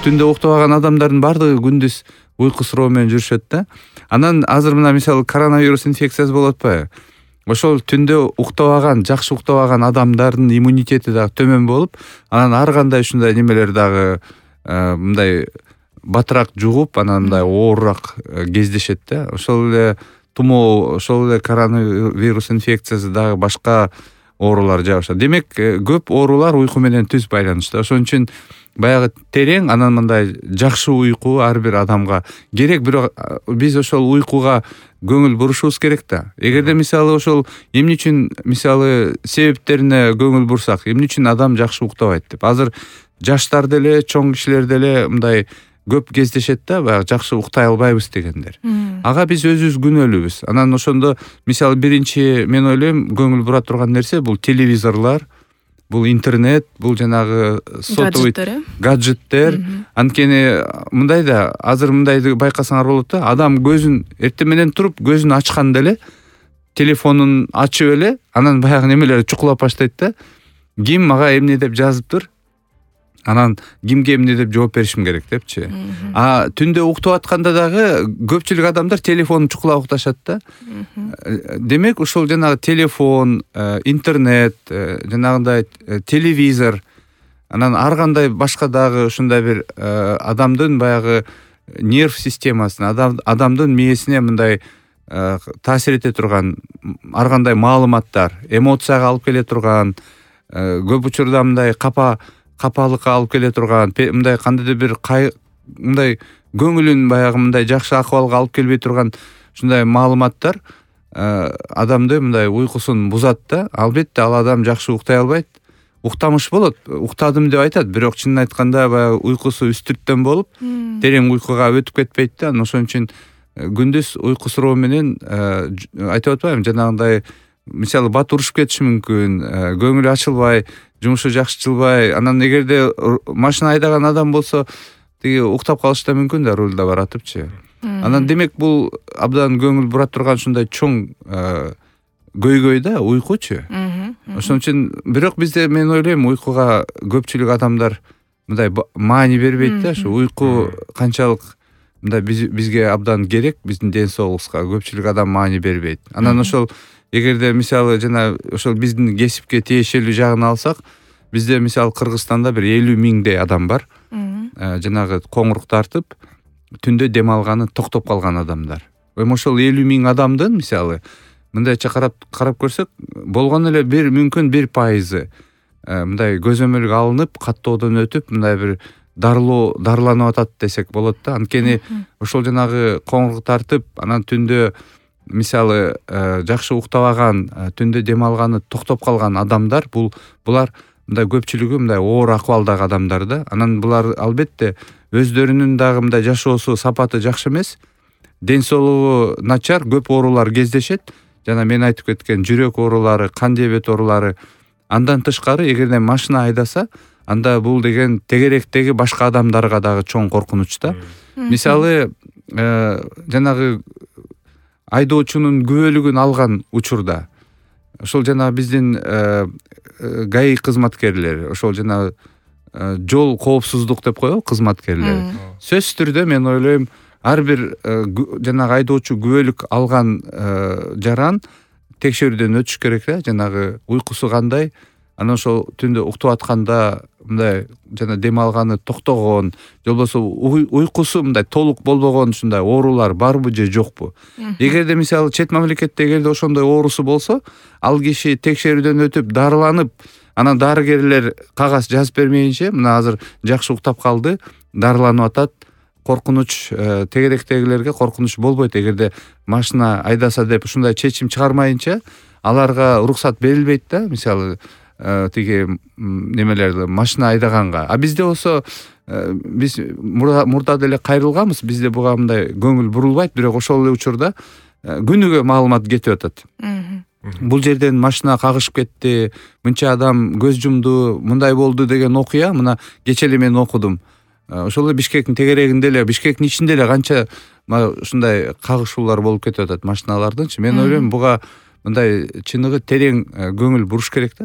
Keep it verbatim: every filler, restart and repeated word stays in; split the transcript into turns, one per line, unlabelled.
түндө уктабаган адамдардын баардыгы күндүз уйку суроо менен жүрүшөт да. Анан азыр мына мисалы коронавирус инфекциясы болуп атпайбы? Ошол түндө уктабаган, жакшы уктабаган адамдардын иммунитети дагы төмөн болуп, анан ар кандай ушундай немелер дагы мындай батыраак жугуп, анан мындай оорураак кездешет да. Ошол эле тумоо, ошол эле коронавирус инфекциясы дагы башка оорулар жабышат. Демек, көп оорулар уйку менен түз байланыштуу. Ошон үчүн баягы терең, анан мындай жакшы уйку ар бир адамга керек, бирок биз ошол уйкуга көңүл бурушубуз керек да. Эгерде мисалы ошол эмне үчүн мисалы себептерине көңүл бурсак, эмне үчүн адам жакшы уктабайт деп. Азыр жаштар деле, чоң кишилер деле мындай көп кездешет да, баягы жакшы уктай албайбыз дегендер. Ага биз өзүбүз күнөөлүүбүз. Анан ошондо мисалы биринчи мен ойлойм көңүл бура турган нерсе бул телевизорлор, бул интернет, бул жанагы сотовый гаджеттер. Анткени мындай да, азыр мындайды байкасаңар болот да, адам көзүн эртең менен туруп, көзүн ачканда эле телефонун ачып эле, анан баягы немелер чукулап баштайт да. Ким мага эмне деп жазыптыр? Анан кимге эмне деп жооп беришим керек депчи. А түндө уктап атканда дагы көпчүлүк адамдар телефонун чукулап укташат да. Демек, ушул жанагы телефон, интернет, жанагындай телевизор, анан ар кандай башка дагы ушундай бир адамдын баягы нерв системасына, адамдын мээсине мындай таасир эте турган ар кандай маалыматтар, эмоцияга алып келе турган, көп учурда мындай капа капалыкка алып келе турган, мындай кандайдыр бир мындай көңүлүн баягы мындай жакшы акыбалга алып келбей турган ушундай маалыматтар адамды мындай уйкусун бузат да. Албетте ал адам жакшы уктай албайт. Уктамыш болот, уктадым деп айтат, бирок чынын айтканда баягы уйкусу үстүрттөн болуп, терең уйкуга өтүп кетпейт да. Ошон үчүн күндүз уйку суроо менен айтып атпаймынбы, жанагындай мисалы бат урушуп кетиши мүмкүн, көңүлү ачылбай, жумушу жакшы жылбай, анан эгерде машина айдаган адам болсо, тиги уктап калышы да мүмкүн да, рулда баратыпчы. Анан демек бул абдан көңүл бура турган ушундай чоң көйгөй да, уйкучу. Ошон үчүн бирок бизде мен ойлойм уйкуга көпчүлүк адамдар мындай маани бербейт да. Ушу уйку канчалык мындай бизге абдан керек, биздин ден соолугубузга көпчүлүк адам маани бербейт. Анан ошол эгерде мисалы жана ошол биздин кесипке тиешелүү жагын алсак, бизде мисалы Кыргызстанда бир элүү миңдей адам бар. Жанагы коңурук тартып, түндө дем алганы токтоп калган адамдар. Эми ошол элүү миң адамдын мисалы мындайча карап карап көрсөк, болгону эле бир мүмкүн бир пайызы мындай көзөмөлгө алынып, каттоодон өтүп, мындай бир дарылоо дарыланып атат десек болот да. Анткени ошол жанагы коңурук тартып, анан түндө мисалы жакшы уктабаган, түндө дем алганы токтоп калган адамдар, бул булар мындай көпчүлүгү мындай оор акыбалдагы адамдар да. Анан булар албетте өздөрүнүн дагы мындай жашоосу сапаты жакшы эмес, ден соолугу начар, көп оорулар кездешет. Жана мен айтып кеткен жүрөк оорулары, кан диабет оорулары. Андан тышкары, эгерде машина айдаса, анда бул деген тегеректеги башка адамдарга дагы чоң коркунуч да. Мисалы, жанагы айдоочунун күбөлүгүн алган учурда, ошол жана биздин ГАИ кызматкерлери, ошол жана жол коопсуздук деп коебу кызматкерлери. Сөзсүз түрдө мен ойлойм, ар бир жанагы айдоочу күбөлүк алган жаран текшерүүдөн өтүш керек да. Жанагы уйкусу кандай, анан ошол түндө уктап атканда мындай жана дем алганы токтогон, же болбосо уйкусу мындай толук болбогон ушундай оорулар барбы же жокпу. Эгерде мисалы чет мамлекетте эгерде ошондой оорусу болсо, ал киши текшерүүдөн өтүп, дарыланып, анан дарыгерлер кагаз жазып бермейинче, мына азыр жакшы уктап калды, дарыланып атат, коркунуч, тегеректегилерге коркунуч болбойт. Эгерде машина айдаса деп ушундай чечим чыгармайынча, аларга уруксат берилбейт да. Мисалы тиги немелерди машина айдаганга. А бизде болсо биз мурда деле кайрылганбыз, бизде буга мындай көңүл бурулбайт, бирок ошол эле учурда күнүгө маалымат кетип атат. Бул жерден машина кагышып кетти, мынча адам көз жумду, мындай болду деген окуя мына кече эле мен окудум. Ошол эле Бишкектин тегерегинде эле, Бишкектин ичинде эле канча ушундай кагышуулар болуп кетип атат машиналардынчы. Мен ойлойм буга мындай чыныгы терең көңүл буруш керек да.